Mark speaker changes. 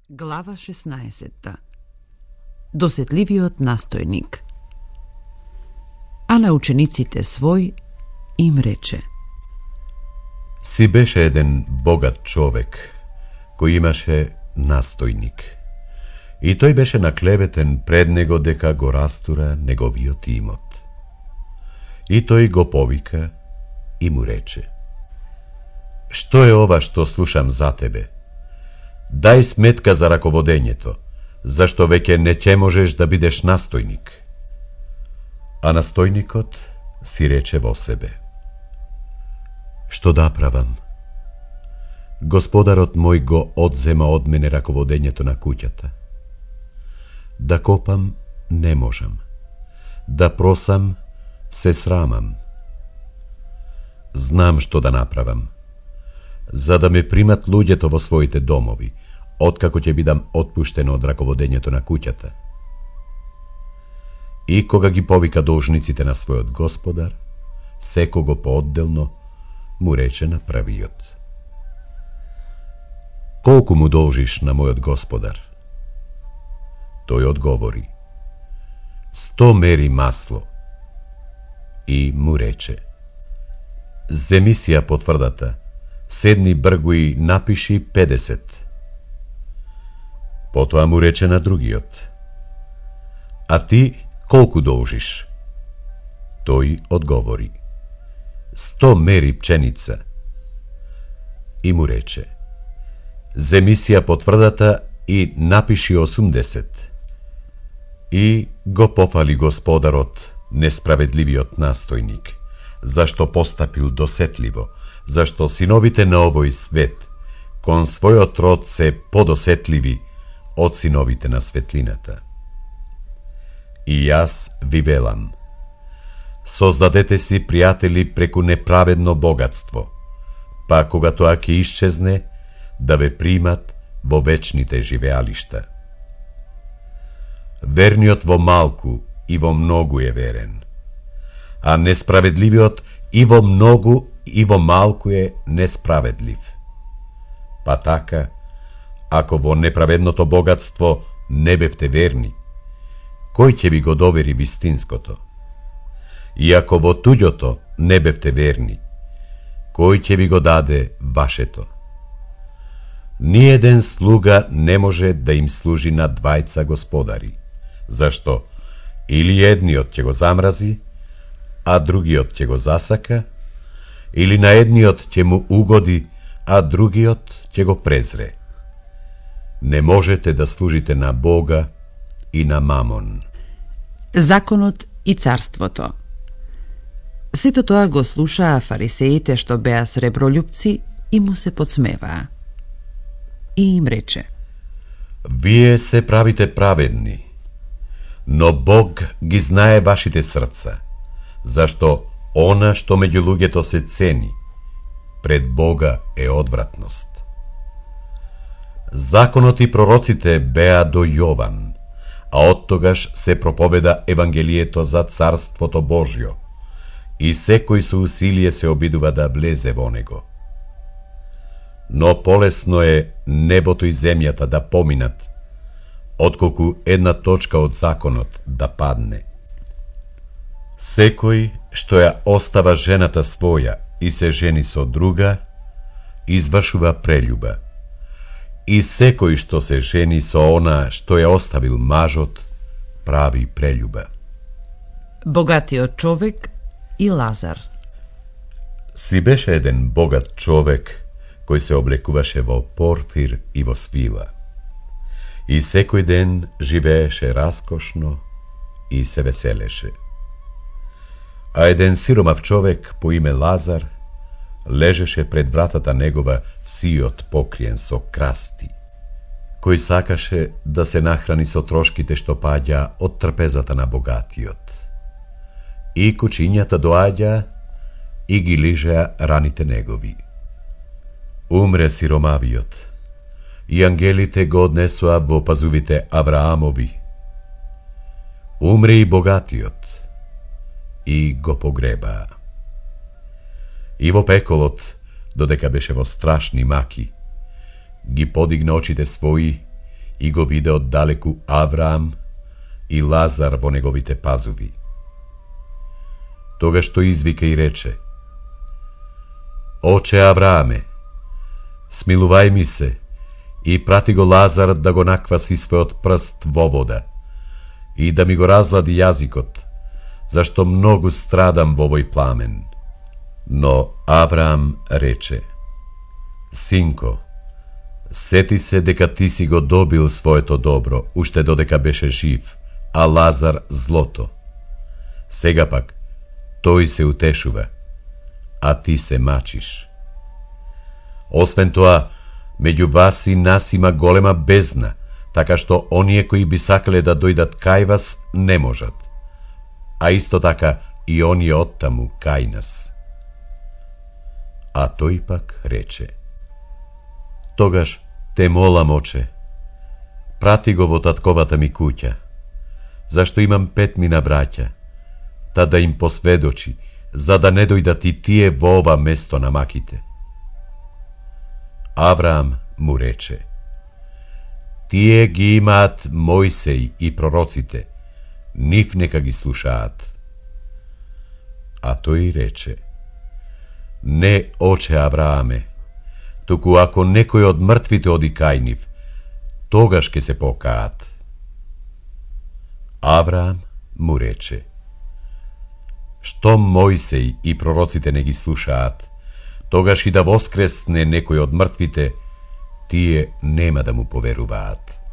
Speaker 1: Глава 16. Досетливиот настојник. А на учениците свој им рече:
Speaker 2: Си беше еден богат човек, кој имаше настојник. И тој беше наклеветен пред него дека го растура неговиот имот. И тој го повика и му рече: Што е ова што слушам за тебе? Дај сметка за раководењето, зашто веќе не ќе можеш да бидеш настојник. А настојникот си рече во себе: Што да правам? Господарот мој го одзема од мене раководењето на куќата. Да копам не можам, да просам се срамам. Знам што да направам, за да ме примат луѓето во своите домови, откако ќе бидам отпуштен од раководењето на куќата. И кога ги повика должниците на својот господар, секого поодделно му рече на првиот: Колку му должиш на мојот господар? Тој одговори: 100 мери масло. И му рече: Земи си ја потврдата, седни бргу и напиши 50. Потоа му рече на другиот: А ти колку должиш? Тој одговори: 100 мери пченица. И му рече: Земи си ја потврдата и напиши 80. И го пофали господарот несправедливиот настојник, зашто постапил досетливо, зашто синовите на овој свет кон својот род се подосетливи од синовите на светлината. И јас ви велам: создадете си пријатели преку неправедно богатство, па кога тоа ќе исчезне, да ве примат во вечните живеалишта. Верниот во малку и во многу е верен, а несправедливиот и во многу и во малку е несправедлив. Па така, ако во неправедното богатство не бевте верни, кој ќе ви го довери вистинското? И ако во туѓото не бевте верни, кој ќе ви го даде вашето? Ниеден слуга не може да им служи на двајца господари, зашто или едниот ќе го замрази, а другиот ќе го засака, или на едниот ќе му угоди, а другиот ќе го презре. Не можете да служите на Бога и на Мамон.
Speaker 1: Законот и царството. Сето тоа го слушаа фарисеите што беа сребролюбци и му се подсмеваа. И им рече:
Speaker 2: Вие се правите праведни, но Бог ги знае вашите срца, зашто она што меѓу луѓето се цени, пред Бога е одвратност. Законот и пророците беа до Јован, а оттогаш се проповеда Евангелието за Царството Божјо, и секој со усилие се обидува да влезе во него. Но полесно е небото и земјата да поминат, отколку една точка од законот да падне. Секој што ја остава жената своја и се жени со друга, извршува прелюба. И секој што се жени со она што ја оставил мажот, прави прелюба.
Speaker 1: Богатиот човек и Лазар.
Speaker 2: Си беше еден богат човек кој се облекуваше во порфир и во свила. И секој ден живееше раскошно и се веселеше. А еден сиромав човек по име Лазар лежеше пред вратата негова сиот покриен со красти, кој сакаше да се нахрани со трошките што паѓа од трпезата на богатиот. И кучињата доаѓа и ги лижеа раните негови. Умре сиромавиот, и ангелите го однесоа во пазувите Авраамови. Умре и богатиот, и го погребаа. И во пеколот, додека беше во страшни маки, ги подигна очите своји и го виде оддалеку Авраам и Лазар во неговите пазуви. Тогаш тој извика и рече: Оче Аврааме, смилувај ми се и прати го Лазар да го накваси својот прст во вода и да ми го разлади јазикот, зашто многу страдам во овој пламен. Но Авраам рече: Синко, сети се дека ти си го добил своето добро, уште додека беше жив, а Лазар злото. Сега пак, тој се утешува, а ти се мачиш. Освен тоа, меѓу вас и нас има голема бездна, така што оние кои би сакале да дојдат кај вас не можат, а исто така и оние оттаму кај нас. А тој пак рече: Тогаш те молам, оче, прати го во татковата ми куќа, зашто имам 5 браќа, та да им посведочи, за да не дојдат и тие во ова место на маките. Авраам му рече: Тие ги имаат Мојсеј и пророците, нив нека ги слушаат. А тој рече: Не, оче Аврааме, туку ако некој од мртвите оди кај нив, тогаш ќе се покаат. Авраам му рече: Што Мојсеј и пророците не ги слушаат, тогаш и да воскресне некој од мртвите, тие нема да му поверуваат.